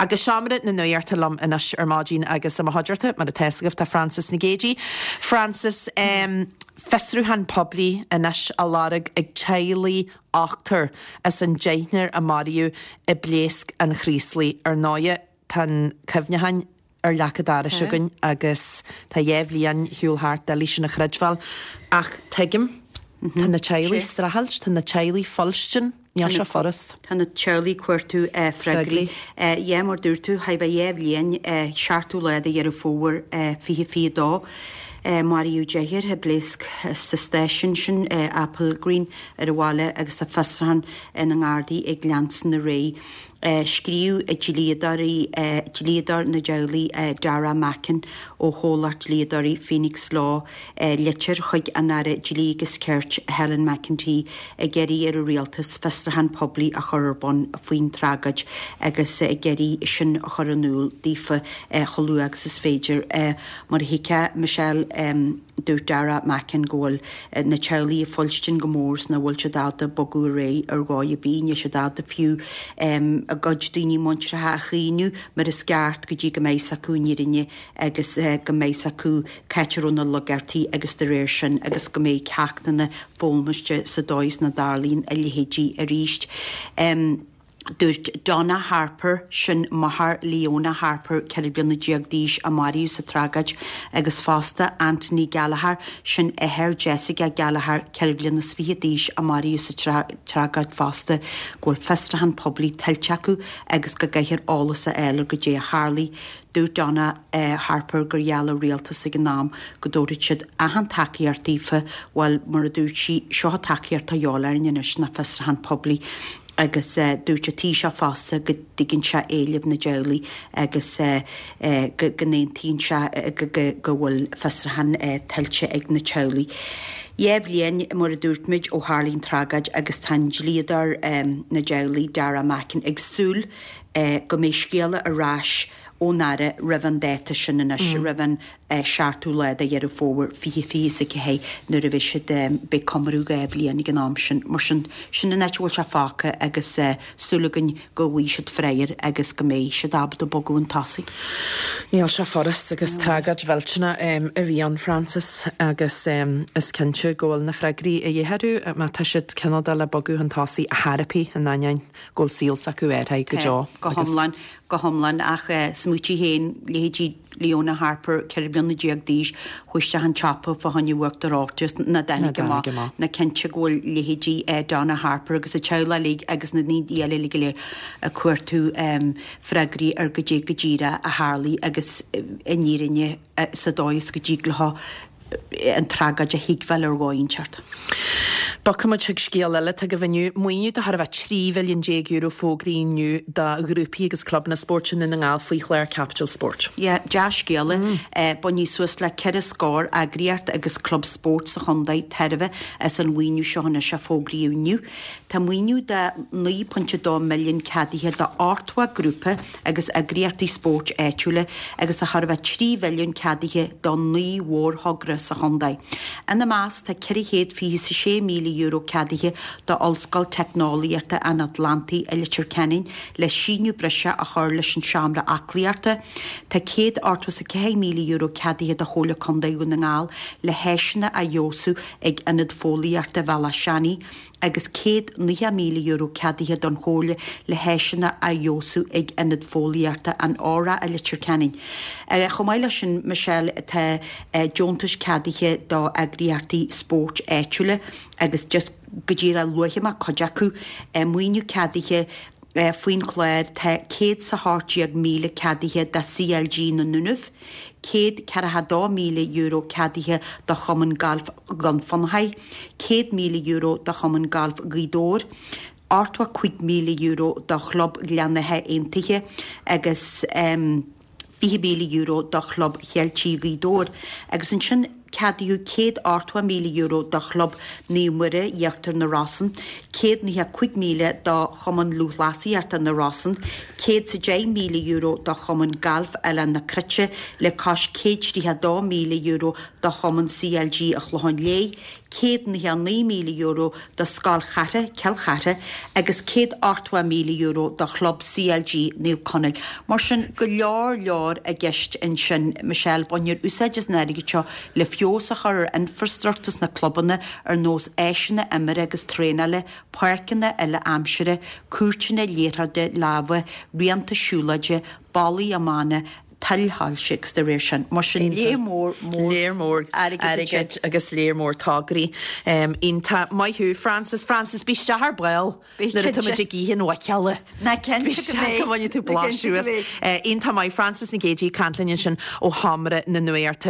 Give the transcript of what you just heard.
Agus seomra na nuachta liom anois ar maidin agus i mo chuideachta, mar atá fhios agaibh, tá Frances Nic Géadaigh. Frances, fiosrúchán poiblí anois á lorg ag teaghlaigh ochtar as an deichniúr a maraíodh i bpléasc an Chraoslaigh. Ar ndóighe, tá an cuimhneachán ar leac an dorais againn agus tá 2 bhliain ar shiúl thart, doiligh sin a chreidbheáil. Ach tuigim, tá na teaghlaigh streachailt, tá na teaghlaigh fuilstin, níl sé furast. Tá na teaghlaigh ag cuartú freagraí. Yeah, mar dúirt tú, chóir a bheith 2 bhliain, 7ú lá de Dheireadh Fómhair 2022, maraíodh deichniúr i bpléasc sa stáisiún sin, Applegreen, ar an bhaile agus tá fiosrúchán na nGardaí ag leanstan ar aghaidh. Scríobh dlíodóirí, dlíodóir na dteaghlaigh Darragh Mackin ó chomhlacht dlíodóirí Phoenix Law litir chuig an Aire Dlí agus Cirt Helen McEntee ag iarraidh ar an Rialtas fiosrúchán poiblí a chur ar bun faoin tragóid agus ag iarraidh sin a chur in iúl daofa chomh luath agus is féidir. Mar a thuigfeá, Michelle, Dúirt Darragh Mackin go bhfuil na teaghlaigh ag fuilstin go mór is nach bhfuil siad ábalta bogadh ar aghaidh ar dhóigh ar bith. Níl siad ábalta fiú a gcuid daoine muinteartha a chaoineadh mar is ceart go dtí go mbeidh 's acu an fhírinne agus go mbeidh 's acu c'áit a raibh na logairtí agus de réir sin agus go mbeidh ceachtanna foghlamtha sa dóigh is nach dtarlaíonn a leithéidí arís. Dúirt Donna Harper, sin máthair Leona Harper, 14 bliana d'aois, a maraíodh sa tragóid, agus fosta Anthony Gallagher, sin athair Jessica Gallagher, 24 bliana d'aois, a maraíodh sa tragóid fosta, go bhfuil fiosrúchán poiblí tuillte acu agus go gcaithfear eolas a fháil ar goidé a tharlaigh. Dúirt Donna Harper gur gheall an rialtas ag an am go dtabharfadh siad achan tacaíocht daofa, bhuel, mar a dúirt sí, seo an tacaíocht atá a dhíobháil orainn anois ná fiosrúchán poiblí. Agus dúirt an Taoiseach fosta go dtuigeann sé éilimh na dteaghlaigh agus go n-aontaíonn sé go bhfuil fiosrúchán tuillte ag na teaghlaigh. 2 bhliain, mar a dúirt muid, ó tharlaigh an tragóid agus tá an dlíodóir na dteaghlaigh, Darragh Mackin, ag súil go mbeidh scéala ar ais ón Aire roimh an dáta sin anois, roimh an 7ú lá de Dheireadh Fómhair 2024 nuair a bheidh siad, beidh comóradh 2 bhliain ag an am sin. Mar sin, sin an áit a bhfuil sé fágtha agus súil againn go bhfaighidh siad freagra agus go mbeidh siad ábalta bogadh chun tosaigh. Níl sé furast agus tragóid mhillteanach a bhí ann, Frances, agus is cinnte go bhfuil na freagraí a dhíth orthu má tá siad cineál de le bogadh chun tosaigh a theiripí in ainneoin go bhfuil saol s'acu athraithe go deo. Go hiomlán, go hiomlán ach smaoitigh féin, leithéidí Leona Harper, 14 bliana d'aois, chuaigh isteach an tsiopa fá choinne uachtar reoite is nach dtáinig amach. Ná cinnte go bhfuil leithéidí Donna Harper agus a teaghlach uilig agus na daoine eile uilig go léir ag cuartú freagraí ar goidé go díreach a tharlaigh agus an fhírinne sa dóigh is go dtig leo an tragóid a thuigbheáil ar dhóigh inteacht. Bogfaidh muid chuig scéal eile atá agaibh inniu. Maoiniú de chóir a bheith €13 mhilliún fógraithe inniu do ghrúpaí agus clubanna spóirt i nDún na nGall faoi chlár Caipitil Spóirt. Yeah, dea-scéala. Bainfidh suas le ceithre scór eagraíocht agus club spóirt sa chontae tairbhe as an mhaoiniú seo anois a fógraíodh inniu. Tá maoiniú de 9.2 milliún ceadaithe do 80 grúpa agus eagraíochtaí spóirt áitiúla agus chóir a bheith 3 mhilliún ceadaithe do 9 mhórthogra sa chontae. Ina measc tá €426,000 ceadaithe do Ollscoil Teicneolaíochta an Atlantaigh i Leitir Ceanainn le síneadh breise a chur leis an seomra aclaíochta. Tá €184,000 ceadaithe do Chomhairle Contae Dhún na nGall le háiseanna a fheabhsú ag Ionad Fóillíochta Bhealach Seanaidh. agus €190,000 ceadaithe don Chomhairle le háiseanna a fheabhsú ag Ionad Fóillíochta an Óra i Leitir Ceanainn. Chomh maith leis sin, Michelle, tá deontais ceadaithe do eagraíochtaí spóirt áitiúla agus just go díreach luafaidh mé cuid acu, maoiniú ceadaithe faoin chlár, tá 118,000 ceadaithe do CLG na nDúnaibh, €142,000 ceadaithe do Chumann Gailf Dhún Fionnachaidh, €100,000 do Chumann Gailf Ghaoth Dobhair, €85,000 do Chlub Ghleann Átha Aontaithe agus €20,000 do Chlub Cheiltigh Ghaoth Dobhair. Agus ansin ceadaíodh €180,000 do Chlub Naomh Muire Íochtar na Rosann, €195,000 do Chumann Lúthchleasaíochta na Rosann, €110,000 do Chumann Gailf Oileán na Cruite le cois €132,000 do Chumann CLG an Chlocháin Léith, €199,000 do Scoil Chartha, Cill Chartha, agus €180,000 do Chlub CLG Naomh Conaill. Mar sin, go leor leor i gceist ansin, Michelle, bainfear úsáid as an airgead seo le feabhas a chur ar infreastruchtúr sna clubanna ar nós áiseanna imeartha agus traenála, páirceanna uile-aimsire, cúirteanna liathróide láimhe, rianta siúlóide, ballaí iomána, tuilshoilse agus dá réir sin. Mar sin, léar mór, mór Léar mór airgid ansin. airgid agus léar mór tograí. Iontach. Maith thú, Frances. Frances, bí isteach ar ball Bí nuair atá cinnte. muid ag ithe an mhuiceola. Ná cinnte Bí go isteach mbeidh. go mbainfidh tú Ná cinnte blaiseadh go as. mbeidh. Iontach maith. Frances Nic Géadaigh ag caint linn ansin ó Sheomra na Nuachta.